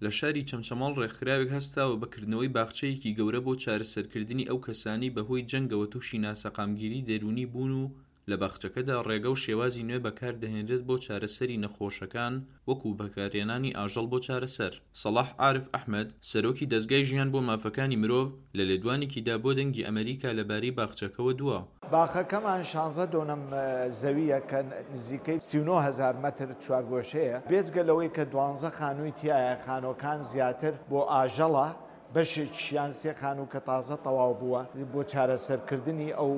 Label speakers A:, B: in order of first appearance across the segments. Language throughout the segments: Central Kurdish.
A: لە شاری چەمچەماڵ ڕێکخراوێک هەستاوە بە کردنەوەی باخچەیەکی گەورە بۆ چارەسەرکردنی ئەو کەسانەی بەهۆی جەنگەوە تووشی ناسەقامگیری دەروونی بوون و لە باخچەکەدا ڕێگە و شێوازی نوێ بەکاردەهێنرێت بۆ چارەسەری نەخۆشەکان وەکو بەکارهێنانی ئاژەڵ بۆ چارەسەر. سەڵاح عارف ئەحمەد، سەرۆکی دەزگای ژیان بۆ مافەکانی مرۆڤ، لە لێدوانێکیدا بۆ دەنگی ئەمەریکا لەبارەی باخچەکەوە دوا.
B: باخەکەمان شانزە دۆنم زەوییە کە نزیکەی 39 هەزار مەتر چوارگۆشەیە، بێجگە لەوەی کە دوانزە خانووی تیایە، خانووەکان زیاتر بۆ ئاژەڵە، بەشێکیشیان سێ خانوو کە تازە تەواو بووە بۆ چارەسەرکردنی ئەو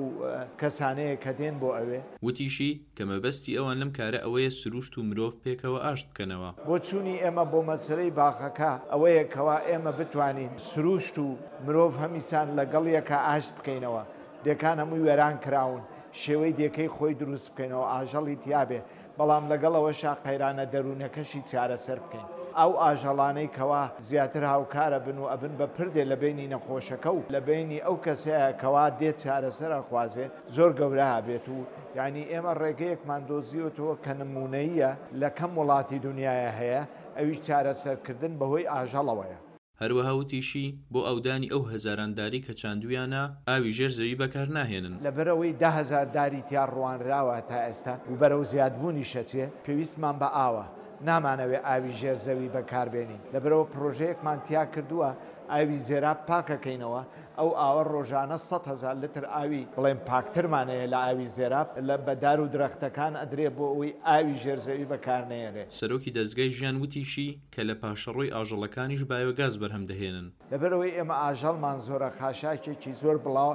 B: کەسانەیە کە دێن بۆ ئەوێ.
A: وتیشی، کە مەبەستی ئەوان لەم کارە ئەوەیە سروشت و مرۆڤ پێکەوە ئاشت بکەنەوە.
B: بۆچوونی ئێمە بۆ مەسەلەی باخەکە ئەوەیە کەوا ئێمە بتوانین سروشت و مرۆڤ هەمیسان لەگەڵ یەکا ئاشت بکەینەوە. دێکان هەمووی وێران کراون، شێوەی دێکەی خۆی دروست بکەینەوە، ئاژەڵی تیابێ، بەڵام لەگەڵ ئەوەشا قەیرانە دەروونەکەشی چارەسەر بکەین. ئەو ئاژەڵانەی کەوا زیاتر هاوکارەبن و ئەبن بە پردێ لە بەینی نەخۆشەکە و لە بەینی ئەو کەسەیا کەوا دێت چارەسەر ئەخوازێ زۆر گەورە ئەبێت و یانی ئێمە ڕێگەیەکمان دۆزیوەتەوە کە نموونەییە لە کەم وڵاتی دونیایا هەیە ئەویش چارەسەرکردن بەهۆی ئاژەڵەوەیە.
A: هەروەها وتیشی، بۆ ئاودانی ئەو هەزاران دارەی کە چاندوویانە، ئاوی ژێر زەوی بەکارناهێنن.
B: لەبەرئەوەی 10,000 داری تیا ڕوانراوە تا ئێستا و بەرەو زیادبوونیش ئەچێ، پێویستمان بە ئاوە، نامانەوێ ئاوی ژێر زەوی بەکاربێنین، لەبەرئەوە پڕۆژەیەکمان تیا کردووە ئاوی زێراب پاکەکەینەوە، ئەو ئاوە ڕۆژانە 100,000 لتر ئاوی بڵێن پاکترمان هەیە لە ئاوی زێراب، لە بە دار و درەختەکان ئەدرێ بۆ ئەوەی ئاوی ژێر زەوی بەکارنەیەنرێ.
A: سەرۆکی دەزگای ژیان وتیشی، کە لە پاشەڕۆی ئاژەڵەکانیش بایۆگاز بەرهەم دەهێنن.
B: لەبەرئەوەی ئێمە ئاژەڵمان زۆرە خاشاکێکی زۆر بڵاو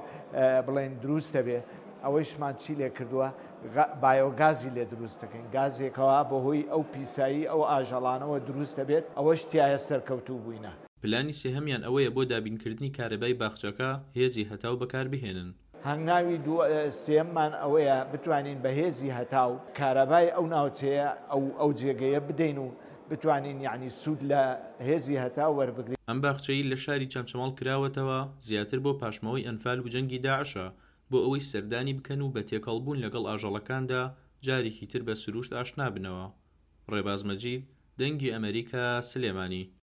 B: بڵێن دروست دەبێ، ئەوەیشمان چی لێ کردووە بایۆگازی لێ دروست دەکەین، گازێک کەوا بەهۆی ئەو پیسایی ئەو ئاژەڵانەوە دروست دەبێت، ئەوەش تیایە سەرکەوتوو بووینە.
A: پلانی سێهەمیان ئەوەیە بۆ دابینکردنی کارەبای باخچەکە هێزی هەتاو بەکاربهێنن.
B: هەنگاوی سێیەممان ئەوەیە بتوانین بە هێزی هەتاو کارەبای ئەو ناوچەیە ئەو ئەو جێگەیە بدەین و بتوانین یەعنی سوود لە هێزی هەتاو وەربگرین.
A: ئەم باخچەی لە شاری چەمچەماڵ کراوەتەوە زیاتر بۆ پاشماوەی ئەنفال و جەنگی داعشە بۆ ئەوەی سەردانی بکەن و بە تێکەڵبوون لەگەڵ ئاژەڵەکاندا جارێکی تر بە سروشت ئاشنابنەوە. ڕێباز مەجید، دەنگی ئەمەریکا، سلێمانی.